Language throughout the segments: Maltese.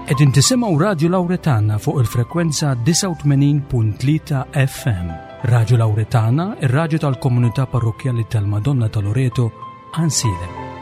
Qegħdin tisimgħu Radju Lawretana fuq il-frekwenza 89.3 FM. Radju Lawretana, ir-radju tal-komunità parrokkjali tal-Madonna ta' Loreto, Ansilem.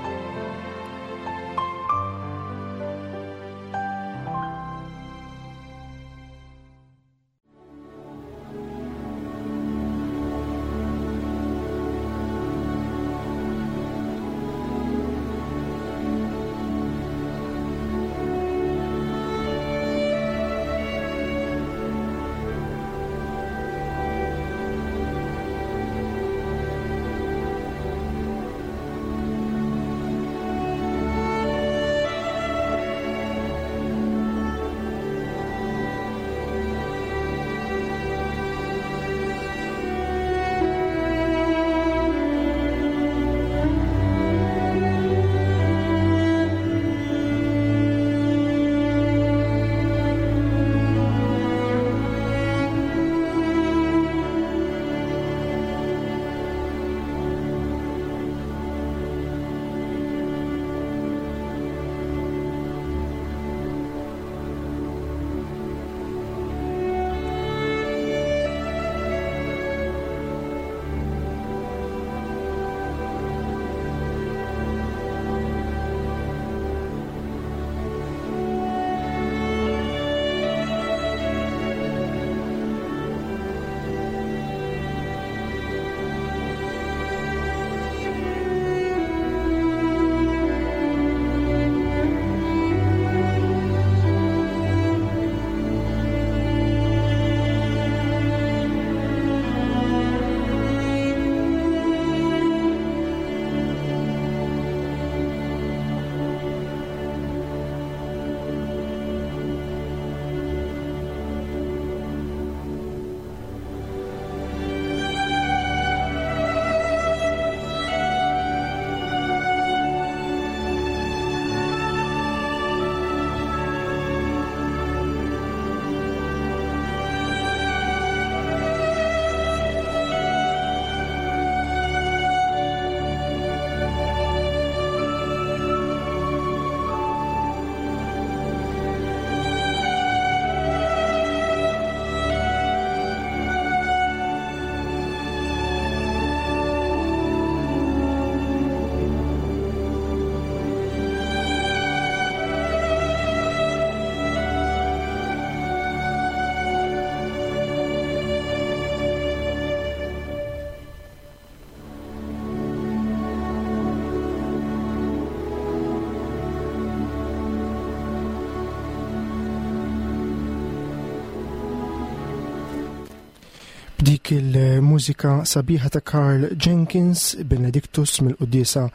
B'dik il-mużika sabiħa ta' Karl Jenkins, Benedictus mill-quddiesa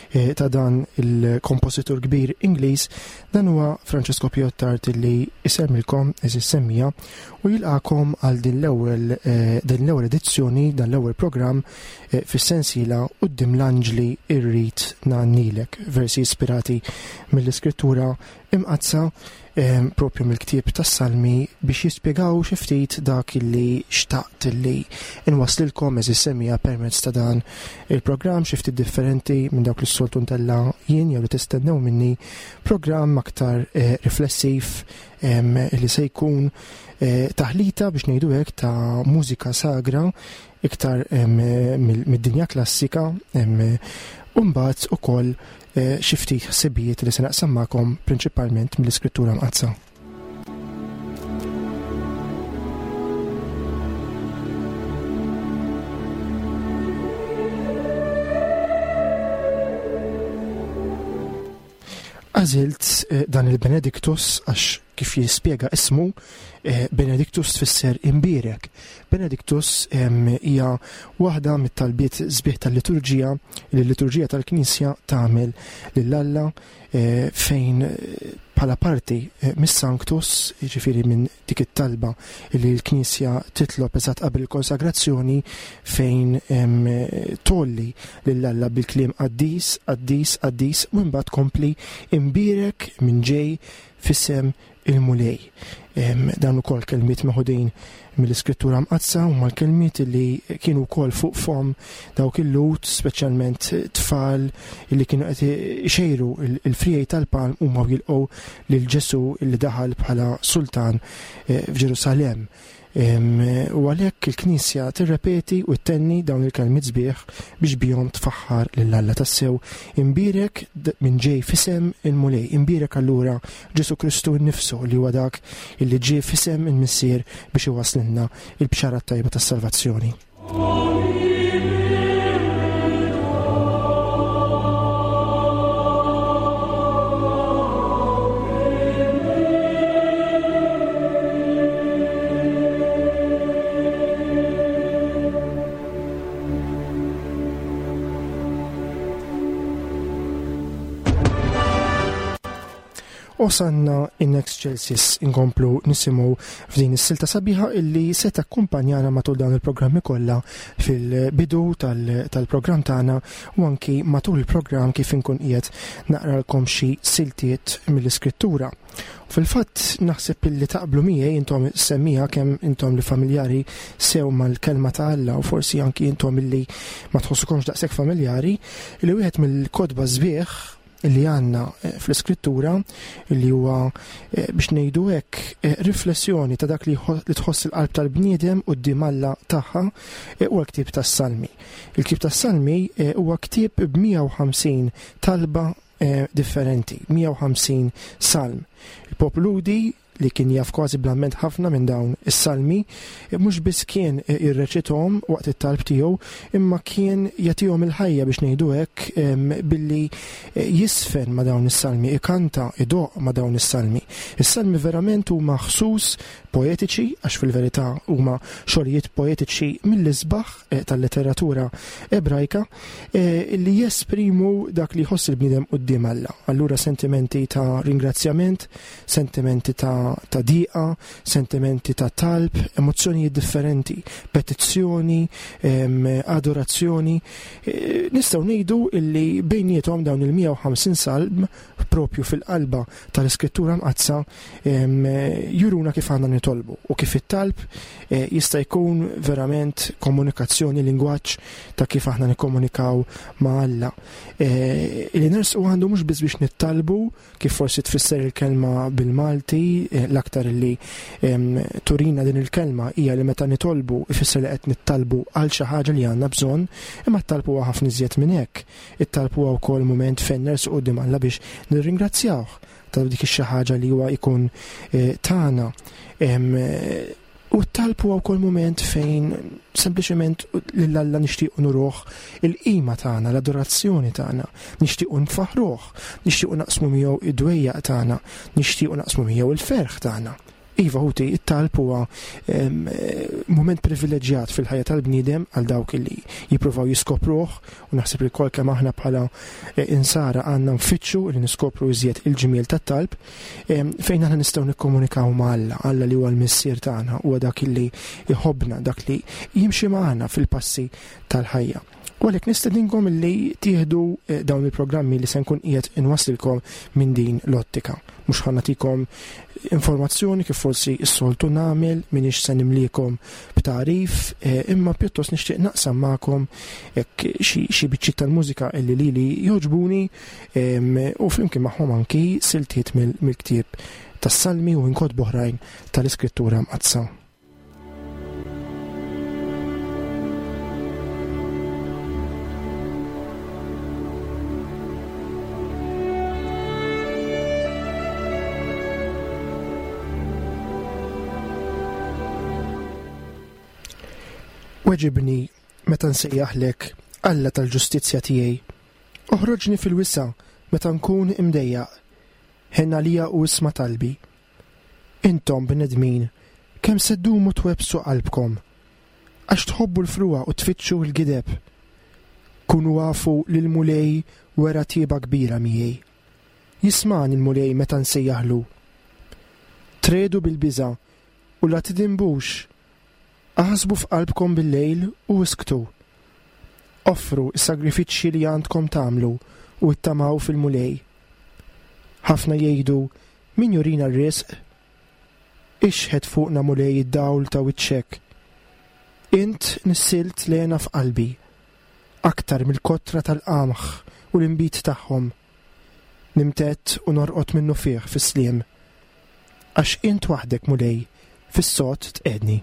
eh, ta' dan il-kompożitur kbir Ingliż, dan huwa Francesco Piottart li isemmilkom eżis semmija u jilqakom għal din l-ewwel eh, din l-ewwel edizzjoni dan l-ewwel programm eh, fis-sensiela Quddiem l-Anġli irrid ngħannilek, versi ispirati mill-Iskrittura Imqaddsa propju mill-ktieb tas-Salmi biex jispjegaw xi ftit dak illi xtaqt illi inwasslilkom eżis semmiegħa permezz ta' dan il-programm xi ftit differenti minn dawk li s-soltu ntella' jien jew li tistennew minni, programm aktar eh, riflessiv li se jkun eh, taħlita biex ngħidu hekk ta' mużika sagra iktar mid-dinja klassika u mbagħad ukoll eh, xi ftit ħsibijiet li se naqsam magħkom prinċipalment mill-Iskrittura Mqaddsa. Għażilt eh, dan il-Benedictus għax kif jispjega ismu, eh, Benedictus tfisser imbierek. Benedictus hija waħda mit-talbiet sbieħ tal-liturġija li l-liturġija tal-Knisja tagħmel lil Alla eh, fejn eh, bħala parti mis-Sanctus, jiġifieri minn dik it-talba li l-Knisja titlob eżatt qabel il-konsagrazzjoni fejn tgħolli lil Alla bil-kliem qaddis, qaddis, qaddis u imbagħad tkompli imbierek minn ġej f'isem il-Mulej. Dan ukoll kelmiet meħudin mill-Iskrittura Mqaddsa huma l-kelmiet li kienu wkoll fuq fom dawk il-Lhud, speċjalment tfal li kienu qed ixejru il-friegħi tal-palm huma jilqgħu lil Ġesù li daħal bħala sultan eh, f'Ġerusalemm. U għalhekk il-Knisja tirrepeti u ttenni dawn il-kelmiet sbieħ biex bihom tfaħħar lil Alla tassew. Imbierek min ġej f'isem il-Mulej, imbierek allura Ġesù Kristu nnifsu li huwa dak illi ġie f'isem il-Missier biex iwasslilna il-bxara t-tajba tas-salvazzjoni. Osanna in excelsis inkomplu nisimgħu f'din is-silta sabiħa illi se takkumpanjana matul dawn il-programmi kollha fil-bidu tal-programm tagħna u anki matul il-programm kif inkun qiegħed naqralkom xi siltiet mill-iskrittura. Fil-fatt naħseb illi taqblu miegħi intom semmija kemm intom li familjari sew mal-kelma ta' Alla u forsi anki intom illi ma tħossukomx daqshekk familjari li wieħed mill-kotba sbieħ li għandna eh, fl-iskrittura li huwa eh, biex ngħidu hekk eh, riflessjoni ta' dak li tħoss il-qalb tal-bniedem quddiem Alla tagħha huwa l-ktieb tas-Salmi. Il-ktieb tas-Salmi huwa ktieb b'150 talba differenti, 150 salm. Il-poplu Lhudi li kien jaf kważi bl-amment ħafna minn dawn is-salmi, mhux biss kien jirreċithom waqt it-talb tiegħu, imma kien jagħtihom il-ħajja biex ngħidu hekk billi jisfen ma' dawn is-salmi, ikanta, idoqq ma' dawn is-salmi. Is-salmi verament huma ħsus poetiċi, għax fil-verità huma xogħlijiet poetiċi mill-isbaħ eh, tal-letteratura ebrajka, eh, li jesprimu dak li jħoss il-bniedem quddiem Alla. Allura sentimenti ta' ringrazzjament, sentimenti ta', ta diqa, sentimenti ta' talb, emozzjonijiet differenti, petizzjoni, adorazzjoni. Eh, nistgħu ngħidu illi bejniethom dawn il-150 salm propju fil-qalba tal-Iskrittura Mqaddsa juruna kif għandna nitolbu u kif it-talb eh, jista' jkun verament komunikazzjoni, lingwaġġ ta' kif aħna nikkomunikaw ma' Alla. Eh, li nersqu għandu mhux biss biex nittalbu kif forsi tfisser il-kelma bil-Malti, eh, l-aktar li turina din il-kelma hija li meta nitolbu ifisser li qed nittalbu għal xi ħaġa li għandna bżonn, imma t-talb huwa ħafna iżjed minn hekk. It-talb huwa wkoll mument fejn nersqu quddiem Alla biex nirringrazzjawh ta' dik ix-xi ħaġa li huwa jkun eh, tagħna. U t-talb huwa wkoll mument fejn sempliċement lil Alla nixtiequ nuruh il-qima tagħna, l-adorazzjoni tagħna, nixtiequ nfaħruh, nixtiequ naqsmu miegħu id-dwejjaq tagħna, nixtiequ naqsmu miegħu il-ferħ tagħna. Iva ħuti, it-talb huwa mument privileġġjat fil-ħajja tal-bniedem għal dawk li jippruvaw jiskopruh u naħseb li kol kemm aħna bħala eh, insara għandna nfittxu li niskopru iżjed il-ġmiel tat-talb fejn aħna nistgħu nikkomunikaw ma' Alla, Alla li huwa l-missier tagħna, huwa dak li jħobbna, dak li jimxi magħna fil-passi tal-ħajja. U għalhekk nistedinkom li tieħdu eh, dawn il-programmi li se nkun qiegħed inwasslilkom minn din l-ottika. Mhux ħa nagħtikom informazzjoni kif forsi s-soltu nagħmel, m'iniex se nimlikom b'tagħrif, eh, imma pjuttost nixtieq naqsam magħkom hekk xi biċċiet tal-mużika illi lili jogħġbuni u flimkien magħhom anki siltiet mill-ktieb tas-Salmi u minn kotba oħrajn tal-Iskrittura Mqaddsa. Weġibni meta nsejjaħlek, Alla tal-ġustizzja tiegħi. Oħroġni fil-wisa' meta nkun imdejjaq. Ħenn għalija u isma' talbi. Intom, bnedmin, kemm se ddumu twebbsu qalbkom? Għax tħobbu l-frugħa u tfittxu l-gideb. Kunu afu li l-Mulej wera tjieba kbira miegħi. Jismagħni l-Mulej meta nsejjaħlu. Triegħdu bil-biża' u la tidinbux. Aħsbu f'qalbkom bil-lejl u isktu. Offru s-sagrifiċċji li għandkom tagħmlu u ittamaw fil-Mulej. Ħafna jgħidu, Min jurina r-risq? Ixħet fuqna Mulej id-dawl ta' wiċċek. Int nissilt l-hena f'qalbi, aktar mill-kotra tal-qamħ u l-inbid tagħhom. Nimtedd u norqod minnufih fis-sliem. Għax int waħdek, Mulej, fis-sod tqegħdni.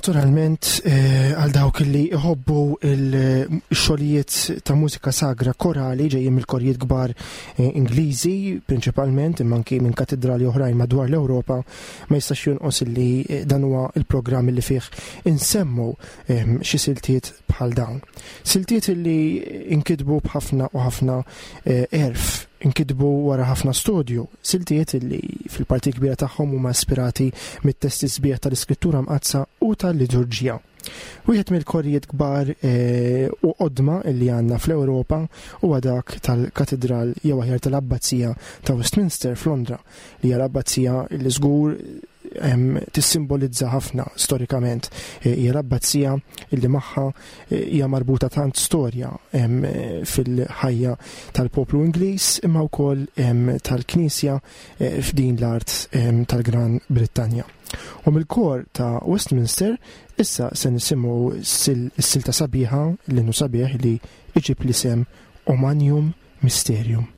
Naturalment, eh, għal dawk li iħobbu il-xogħlijiet ta' mużika sagra korali ġejjin mill-korijiet kbar eh, Ingliżi, prinċipalment, imma anki minn katedrali oħrajn madwar l-Ewropa, ma jistax jonqos li eh, dan huwa il-programm li fih insemmu xi siltiet bħal dawn. Siltiet li inkitbu b'ħafna u ħafna għerf, inkitbu wara ħafna studju, siltiet li fil-parti kbira tagħhom huma ispirati mit-testi sbieħ tal-Iskrittura Mqaddsa u tal-liturġija. Wieħed mill-korijiet kbar eh, u qodma li għandna fl-Ewropa huwa dak tal-Katedral jew aħjar tal-Abbazija ta' Westminster f'Londra, li hija l-abbazija li żgur tissimbolizza ħafna storikament. E, hija l-abbazija li magħha e, hija marbuta tant storja fil-ħajja tal-poplu Ingliż imma wkoll tal-Knisja e, f'din l-art tal-Gran Brittanja. U mill-kor ta' Westminster issa se nisimgħu s-silta sabiħa l-innu sabiħ li iġib l-isem Omanium Mysterium.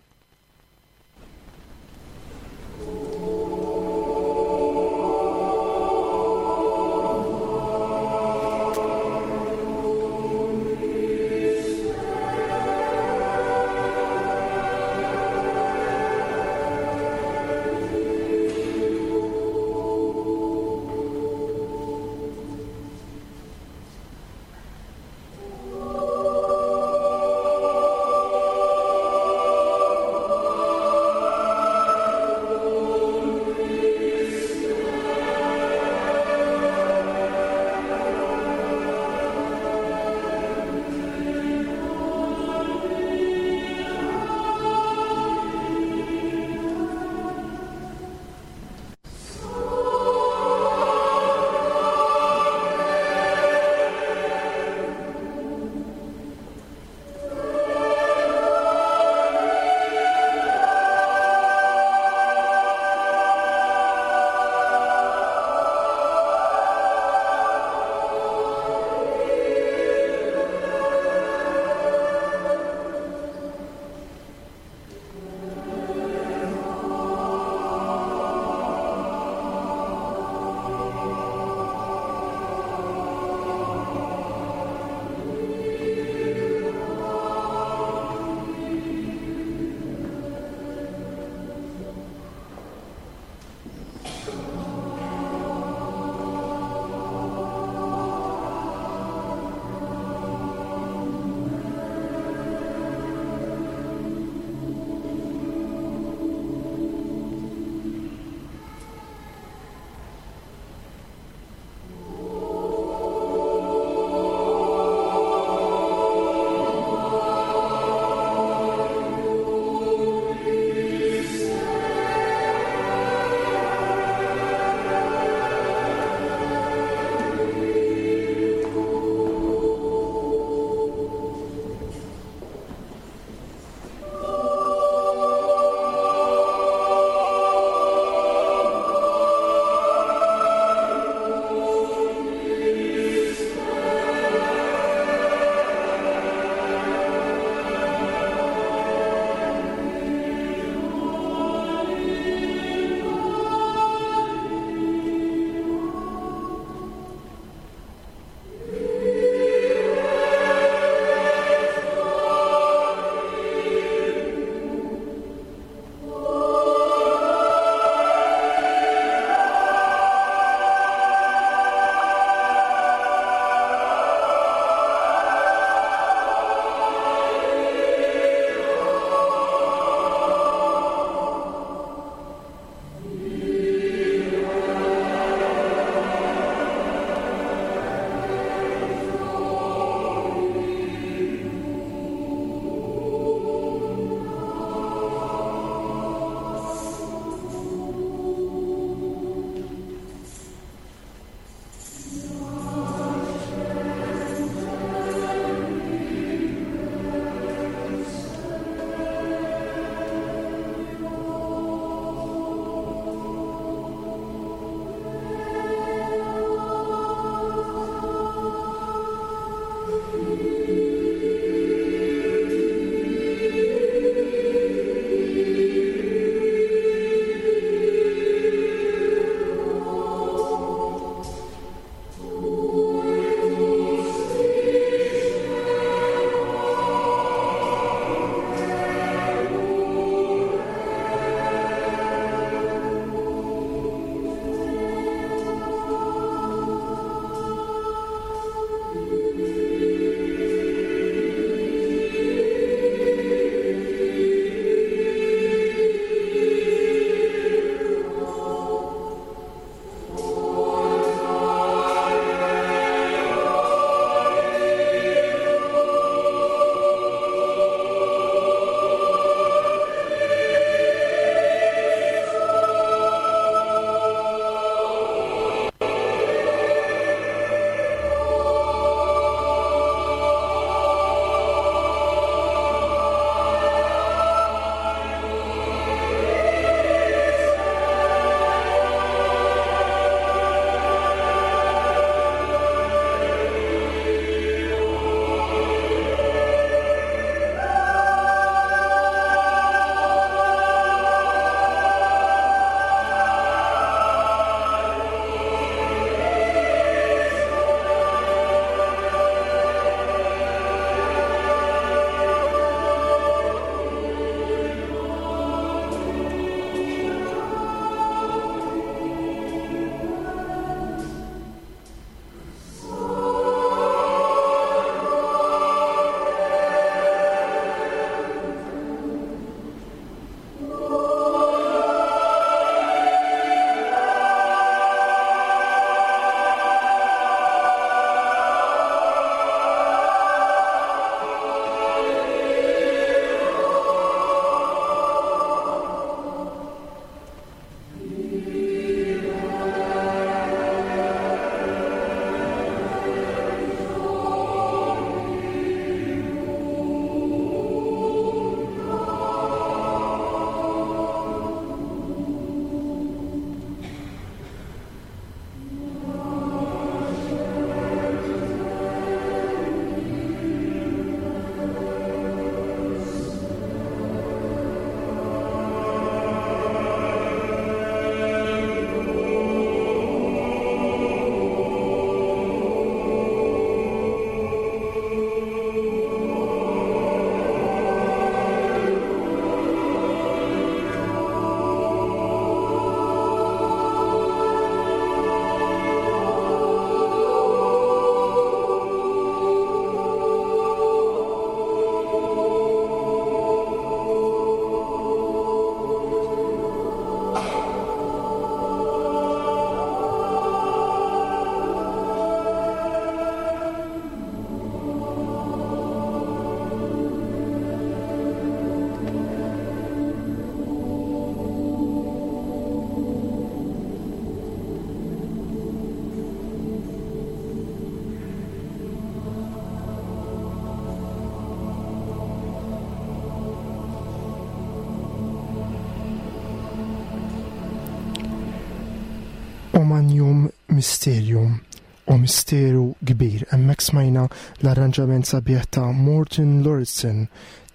O Magnum Mysterium, O Misteru Kbir. Hemmhekk smajna l-arranġament sabiħ ta' Morten Lauritsen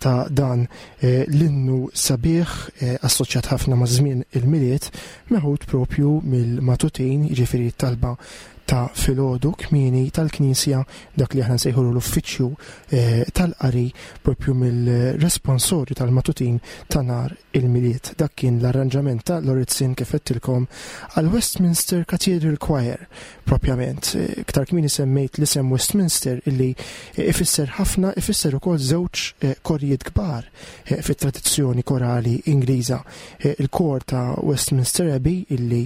ta' dan eh, l-innu sabiħ eh, assoċjat ħafna ma' żmien il-Milied meħud propju mill-Matutin, jiġifieri talba ta' filgħodu kmieni tal-Knisja dak li aħna nsejħulu l-uffiċċju eh, tal-qari propju mill-responsorju tal-Matutin ta' nhar il-Milied. Dak kien l-arranġament ta' Lauritsen kif għedtilkom għal Westminster Cathedral Choir propjament. Eh, iktar kmieni semmejt l-isem Westminster illi eh, ifisser ħafna, ifisser ukoll żewġ korijiet kbar fit-tradizzjoni korali Ingliża. Il-kor ta' Westminster Abbey illi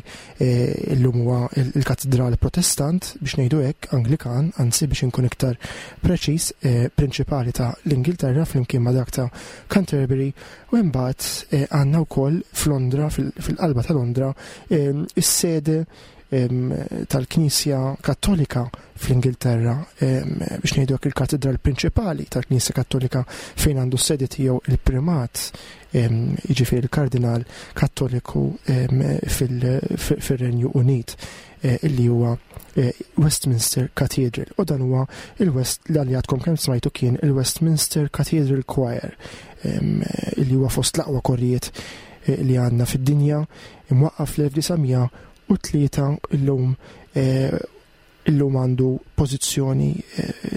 illum huwa il-katedral Protestant biex ngħidu hekk, Anglikan, anzi biex inkun iktar preċiż, prinċipali ta' l-Ingilterra flimkien ma' dak ta' Canterbury u imbagħad għandna wkoll f'Londra, fil-qalba ta' Londra, is-sede tal-Knisja Kattolika fl-Ingilterra, biex ngħidu hekk il-katedral prinċipali tal-Knisja Kattolika fejn għandu s-sede tiegħu il-primat, jiġifieri il-Kardinal Kattoliku fil-Renju Unit, eh, illi huwa eh, Westminster Cathedral. U dan huwa il-West li għadkom kemm smajtu kien il-Westminster Cathedral Choir, illi huwa fost l-aqwa korrijiet eh, li għandna fid-dinja imwaqqaf fl-1903 illum illum għandu pożizzjoni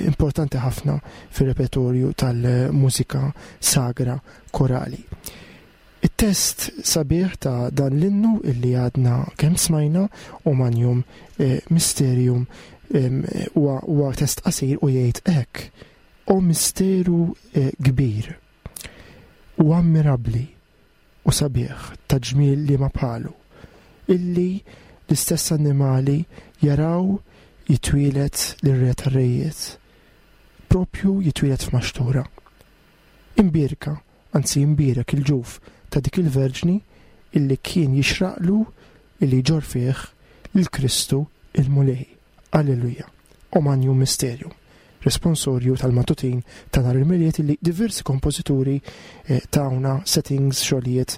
importanti ħafna fir-repertorju tal-mużika sagra korali. It-test sabiħ ta' dan l-innu illi għadna kemm smajna o Magnum Mysterium huwa test qasir u jgħid hekk: O misteru kbir u ammirabbli u sabiħ ta' ġmiel liema bħalu, illi l-istess annimali jaraw jitwieled lir-Re tar-Rejiet, propju jitwieled f'maxtura. Imbierka, anzi imbierek il-ġuf ta' dik il-Verġni illi kien jixraqlu illi jġorr fih lil Kristu il-Mulej. Alleluja. O Magnum Mysterium. Responsorju tal-Matutin ta' nhar il-Milied illi diversi kompożituri eh, tawna settings xogħlijiet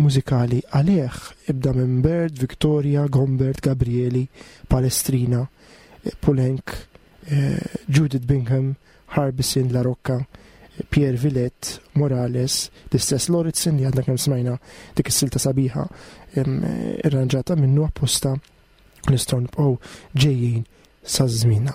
mużikali għalih ibda minn Byrd, Victoria, Gombert, Gabrieli, Palestrina, eh, Poulenc, eh, Judith Bingham, Harbison, La Rocca, Pierre Villette, Morales, l-istess Lauritsen li għadna kemm smajna dik is-silta sabiħa irranġata minnu apposta nistgħu nibqgħu ġejjin sa żmienna.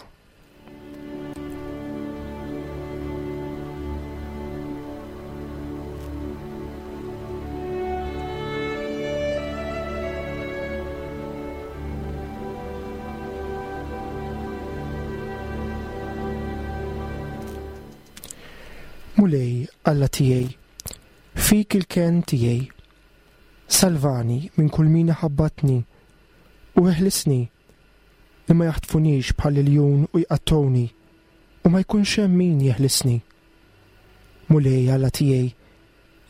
Mulej Alla tiegħi, fik il-kenn tiegħi. Salvani minn kull min iħabbatni u eħlisni li ma jaħtfunix bħal iljun u jqattgħuni u ma jkunx hemm min jeħlisni. Mulej Alla tiegħi,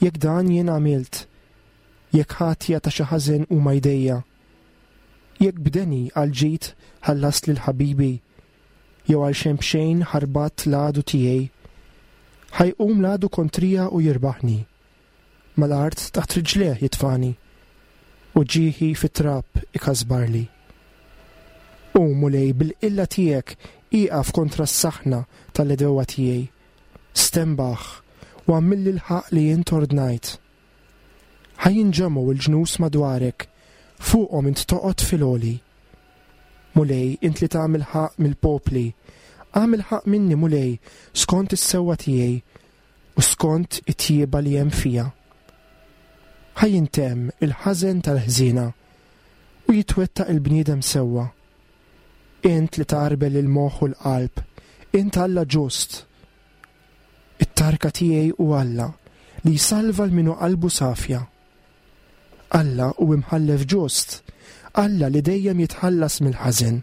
jekk dan jien għamilt, jekk ħatja ta' xi ħażen huma jdejja, jekk b'deni għall-ġid ħallast lil ħabibi, jew għal xejn b'xejn ħarbatt l-għadu tiegħi, ħa jqum l-għadu kontrija u jirbaħni. Mal-art taħt riġlejh jitfagħni, u ġieħi fit-trab ikasbarli. O Mulej, bil-qilla tiegħek ieqaf kontra s-saħna tal-għedewwa tiegħi. Stenbaħ, u agħmilli l-ħaqq li int ordnajt. Ħa jinġemgħu l-ġnus madwarek, fuqhom int toqgħod fil-għoli. Mulej, int li tagħmel ħaqq mill-popli, agħmel ħaqq minni, Mulej, skont is-sewwa tiegħi, u skont it-tjieba li hemm fija. Ħa jintemm il-ħażen tal-ħżiena u jitwettaq il-bniedem sewwa. Int li tgħarbel il-moħħ u l-qalb, int Alla ġust. It-tarka tiegħi hu Alla li jsalva 'l min hu qalbu safja. Alla hu imħallef ġust, Alla li dejjem jitħallas mill-ħażen.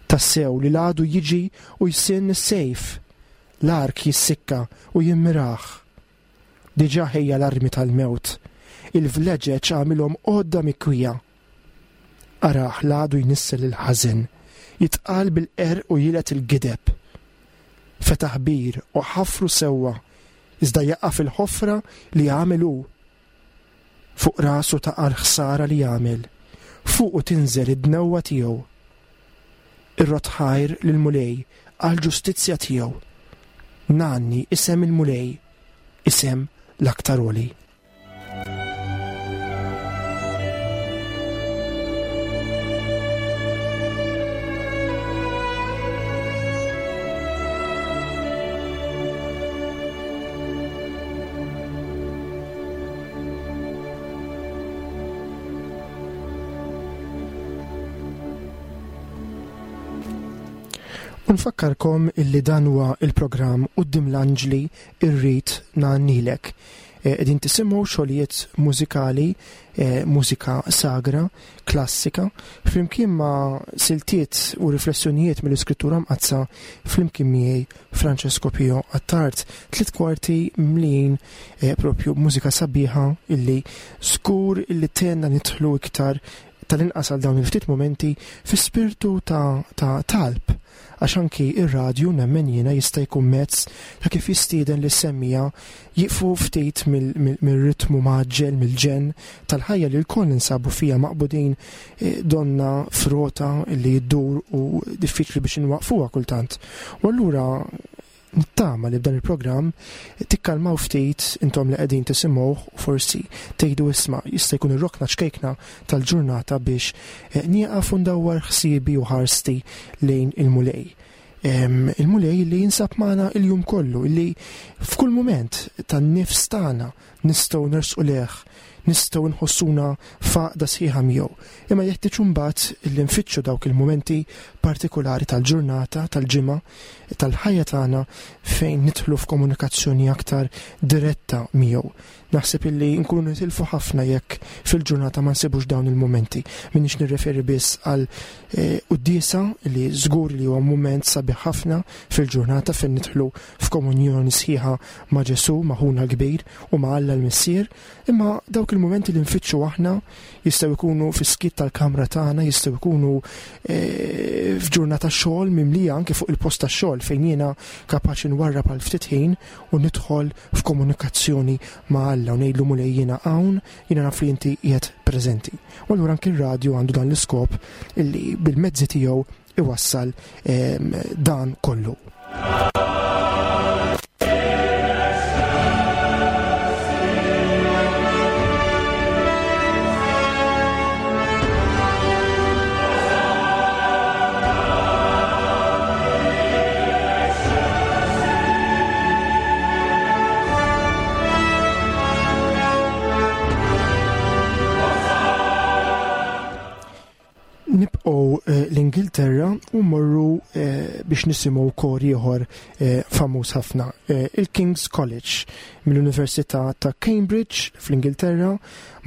Tassew li l-għadu jiġi u jsinn is-sejf, l-ark jissikka u jimmirah. Diġà ħejja l-armi tal-mewt, il-vleġeġ għamilhom għodda mikwija. Arah l-għadu jnissel il-ħażen, jitqal bil-qerq u jilgħet il-gideb. Fetaħ bir u ħafru sewwa, iżda jaqa' fil-ħofra li għamel hu. Fuq rasu taqa' l-ħsara li għamel. Fuqu tinżel id-dnewwa tiegħu. Irrodd ħajr lill-Mulej għall-ġustizzja tiegħu. Ngħanni isem il-Mulej, isem l-Aktar Għoli. U nfakkarkom illi dan huwa il-programm Quddiem l-Anġli Irrid Ngħannilek. Eh, qegħdin tisimgħu xogħlijiet mużikali, eh, mużika sagra, klassika, flimkien ma' siltiet u riflessjonijiet mill-Iskrittura Mqaddsa flimkien miegħi Francesco Pio Attard, tliet kwarti mlijin eh, propju mużika sabiħa illi żgur illi tenna nidħlu iktar tal-inqas għal dawn il-ftit momenti fi spirtu ta', ta talb għax anki ir-radju nemmen jiena jista' jkun mezz ta' kif jistieden lis semmija jieqfu ftit mir-ritmu mgħaġġel, mill-ġenn tal-ħajja li lkoll ninsabu fiha maqbudin eh, donna f'rota li ddur u diffiċli biex inwaqfuha kultant. U allura Nittama li b'dan il-programm tikkalmaw ftit intom li qegħdin tisimgħuh u forsi tgħidu isma' jista' jkun ir-rokna ċkejkna tal-ġurnata biex eh, nieqaf u ndawwar ħsiebi u ħarsti lejn il-Mulej. Il-Mulej li jinsab magħna il-jum kollu, li f'kull mument tan-nifs tagħna nistgħu nersqu lejh, nistgħu nħossuna f'għaqda sħiħa miegħu. Imma jeħtieġ imbagħad li nfittxu dawk il-mumenti partikulari tal-ġurnata, tal-ġimgħa, tal-ħajja tagħna fejn nidħlu f'komunikazzjoni aktar diretta miegħu. Naħseb illi nkunu nitilfu ħafna jekk fil-ġurnata ma nsibux dawn il-mumenti. Minix nirreferi biss għal eh, quddiesa li żgur li huwa mument sabiħ ħafna fil-ġurnata fejn nidħlu f'komunjoni sħiħa ma' Ġesù, ma' ħuna l-kbir u ma' Alla l-Missier, imma dawk il-mumenti li nfittxu aħna jistgħu jkunu fis-skiet tal-kamra tagħna, jistgħu jkunu eh, f'ġurnata xogħol mimlija anke fuq il-post tax-xogħol fejn jiena kapaċi nwarrab għal ftit ħin u nidħol f'komunikazzjoni ma' Alla u ngħidlu Mulej jiena hawn, jiena naf li inti qiegħed preżenti. U allura anke r-radju għandu dan l-iskop illi bil-mezzi tiegħu iwassal ehm, dan kollu. Nibqgħu eh, l-Ingilterra u mmorru eh, biex nisimgħu kor ieħor eh, famuż ħafna, il-King's College mill-Università ta' Cambridge fl-Ingilterra,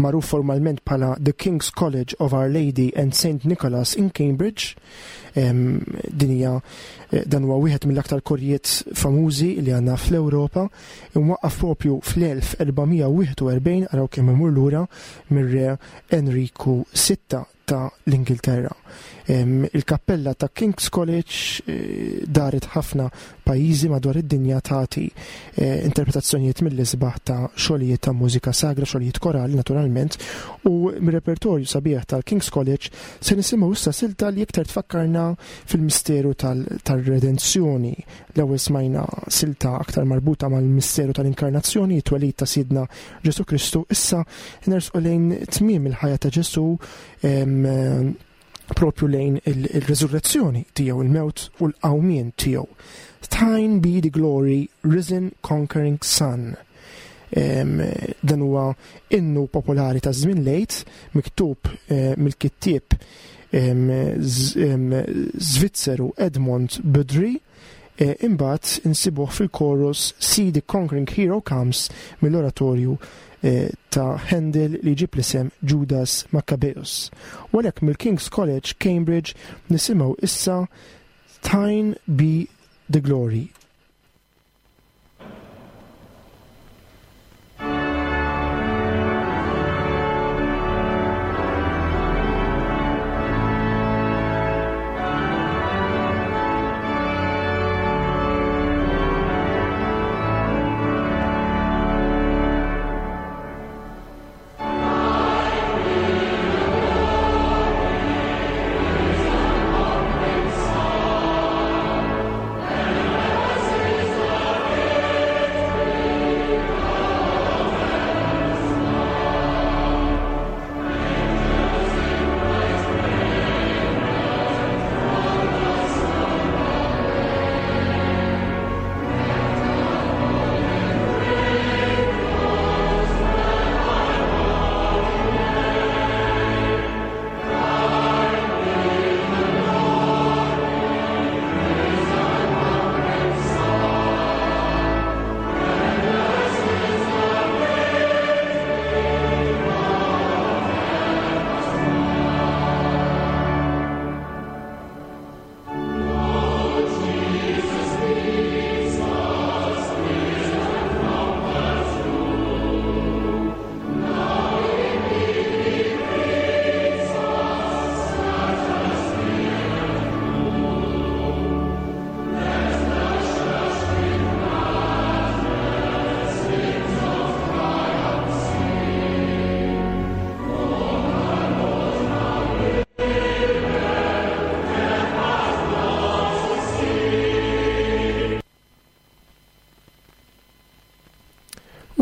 magħruf formalment bħala The King's College of Our Lady and St. Nicholas in Cambridge. Din hija dan huwa wieħed mill-aktar korijiet famużi li għandna fl-Ewropa, imwaqqaf propju fl-1441 araw kemm imur lura mir-re Enriku VI ta' l-Ingilterra. Il-kappella ta' King's College eh, daret ħafna pajjiżi madwar id-dinja tagħti eh, interpretazzjonijiet mill-isbaħ ta' xogħlijiet ta' mużika sagra, xogħlijiet korali naturalment, u mir-repertorju sabiħ tal-King's College se nisimgħu issa silta li iktar tfakkarna fil-misteru tal-redenzjoni. L-ewwel smajna silta aktar marbuta mal-misteru tal-inkarnazzjoni, it-twelid ta' Sidna Ġesu Kristu, issa nersqu lejn tmiem il-ħajja ta' Ġesu propju lejn il-resurrezzjoni tiegħu, il-mewt u l-qawmien tiegħu. Thine be the glory, risen conquering son. Dan huwa innu popolari ta' żmien lejt, miktub eh, mill-kittieb Zvizzeru Edmond Budry, E, imbagħad insibuh fil-chorus See the Conquering Hero Comes mill-oratorju e, ta' Handel li jġib l-isem Judas Maccabeus. U għalhekk mill-King's College Cambridge nisimgħu issa Thine Be the Glory.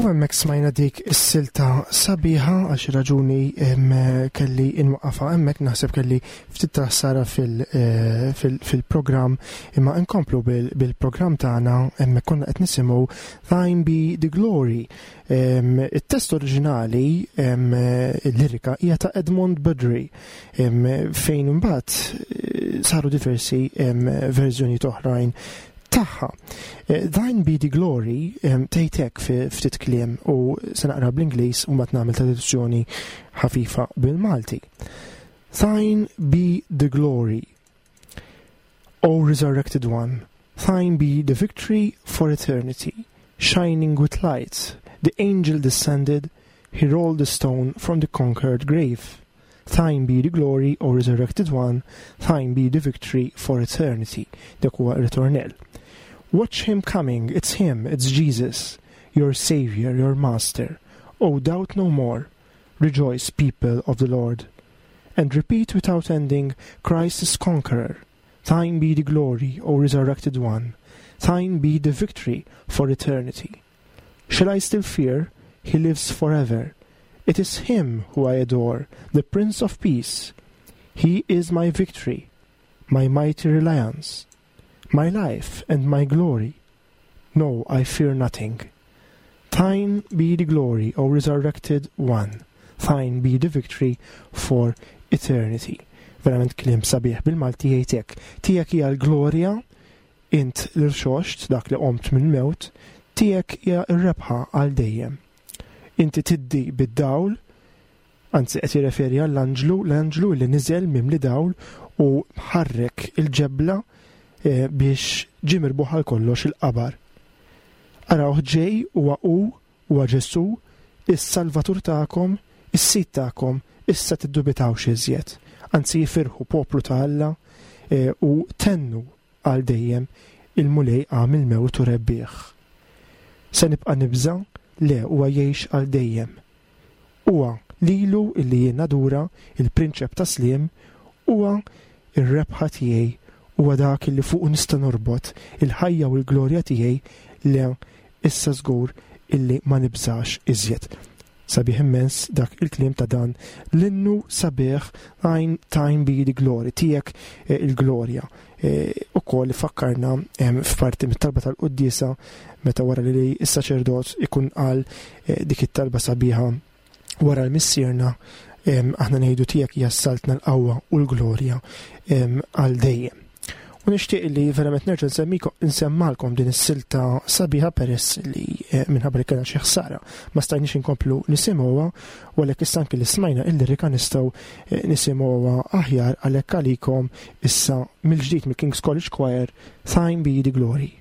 U hemmhekk smajna dik is-silta sabiħa għal xi raġuni kelli inwaqqafha hemmhekk naħseb kelli ftit ta' ħsara eh, fil-programm imma nkomplu bil-programm tagħna hemmhekk konna qed nisimgħu Thine Be the Glory. It-test oriġinali il-lirika hija ta' Edmond Budry fejn imbagħad eh, saru diversi verżjonijiet oħrajn tagħha. Eh, Thine be the glory tgħid hekk fi ftit kliem u se naqra bl-Ingliż u mbagħad nagħmel traduzzjoni ħafifa bil-Malti. Thine be the glory, O resurrected one, thine be the victory for eternity, shining with light. The angel descended, he rolled the stone from the conquered grave. Thine be the glory, O resurrected one, thine be the victory for eternity. Dak huwa ritornell. Watch him coming, it's him, it's Jesus, your savior, your master. Oh, doubt no more. Rejoice, people of the Lord. And repeat without ending, Christ is conqueror. Thine be the glory, O resurrected one. Thine be the victory for eternity. Shall I still fear? He lives forever. It is him who I adore, the Prince of Peace. He is my victory, my mighty reliance, my life and my glory. No, I fear nothing. Thine be the glory, O resurrected one. Thine be the victory for eternity. Verament kliem sabiħ bil-Malti jgħid hekk. Tiegħek hija l-glorja, int l-irxoxt, dak li qomt mill-mewt, tiegħek hija r-rebħa għal dejjem. Inti tiddi bid-dawl, anzi qed jirreferi għall-anġlu, l-anġlu li niżel mimli dawl u ħarrek il-ġebla eh, biex ġie mirbuħ għal kollox il-qabar. Arawh ġej huwa hu huwa Ġesù, is-Salvatur tagħkom, is-Sid tagħkom, issa tiddubitawx iżjed. Anzi ifirħu poplu ta' Alla eh, u tennu għal dejjem il-Mulej qam mill-mewt u rebbieħ. Se nibqa' nibża'? Le, huwa jgħix għal dejjem. Huwa lilu illi jien nadura, il-Prinċep tas-Sliem, huwa r-rebħa tiegħi, huwa dak illi fuqu nista' norbot il-ħajja u l-glorja tiegħi, le, issa żgur illi ma nibżax iżjed. Sabiħ immens dak il-kliem ta' dan l-innu sabiħ Thine, Thine be the glory, tiegħek eh, il-glorja. Eh, ukoll fakkarna f'parti mit-talba tal-quddiesa meta wara li s-saċerdot ikun qal eh, dik it-talba sabiħa wara l-missierna aħna ngħidu tiegħek hija s-saltna l-qawwa u l-glorja għal dejjem. U nixtieq li verament nerġa' nsemmalkom din is-silta sabiħa peress li eh, minħabba li kellna xi ħsara ma stajniex inkomplu nisimgħuha u għalhekk issa anki li smajna il-lirika nistgħu eh, nisimgħuha aħjar għalhekk għalikom issa mill-ġdid mill-King's College Choir Thine Be the Glory.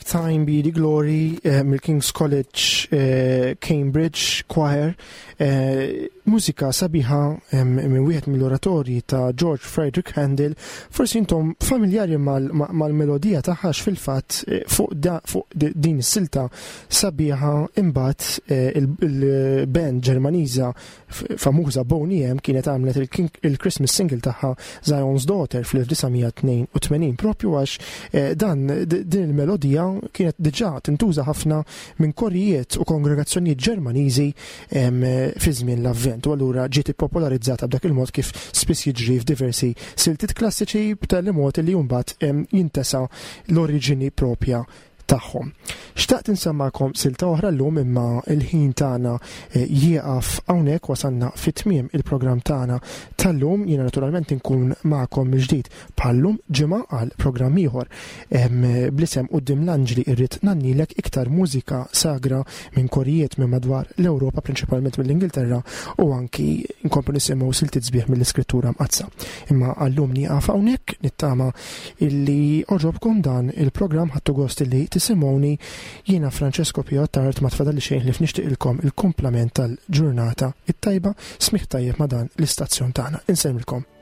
kellek Time Be The Glory eh, mill-King's College eh, Cambridge Choir, eh, mużika sabiħa minn wieħed mill-oratorji ta' George Frederick Handel, forsi intom familjari mal-melodija tagħha fil-fatt fuq din is-silta sabiħa imbagħad il-band Ġermaniża famuża Boney M kienet għamlet il-Christmas single tagħha Zion's Daughter fl-1982 propju għax eh, dan din il-melodija kienet diġà tintuża ħafna minn korijiet u kongregazzjonijiet Ġermaniżi fi żmien l-Avvent u allura ġiet ippopolarizzata b'dak il-mod kif spiss jiġri f'diversi siltiet klassiċi b'tali mod li mbagħad jintesa l-oriġini propja tagħhom. Xtaqt insemmakom silta oħra llum imma il-ħin tagħna eh, jieqaf hawnhekk wasalna fit-tmiem il-programm tagħna tal-lum jiena naturalment inkun magħkom mill-ġdid bħallum ġimgħa għal programm ieħor. Bl-isem quddiem l-anġli irrid nannilek iktar mużika sagra minn korijiet minn madwar l-Ewropa prinċipalment mill-Ingilterra u anki nkomplu nisimgħu siltiet sbieħ mill-Iskrittura Mqaddsa. Imma għallum nieqaf hawnhekk nittama illi oġobkom dan il-programm ħadtu gost illi tisimgħuni jiena Francesco Pio Attard ma tfadalli xejn li f'nixtieqilkom il-kumplament tal-ġurnata it-tajba smigħ tajjeb ma' dan l-istazzjon tagħna. Insellmilkom.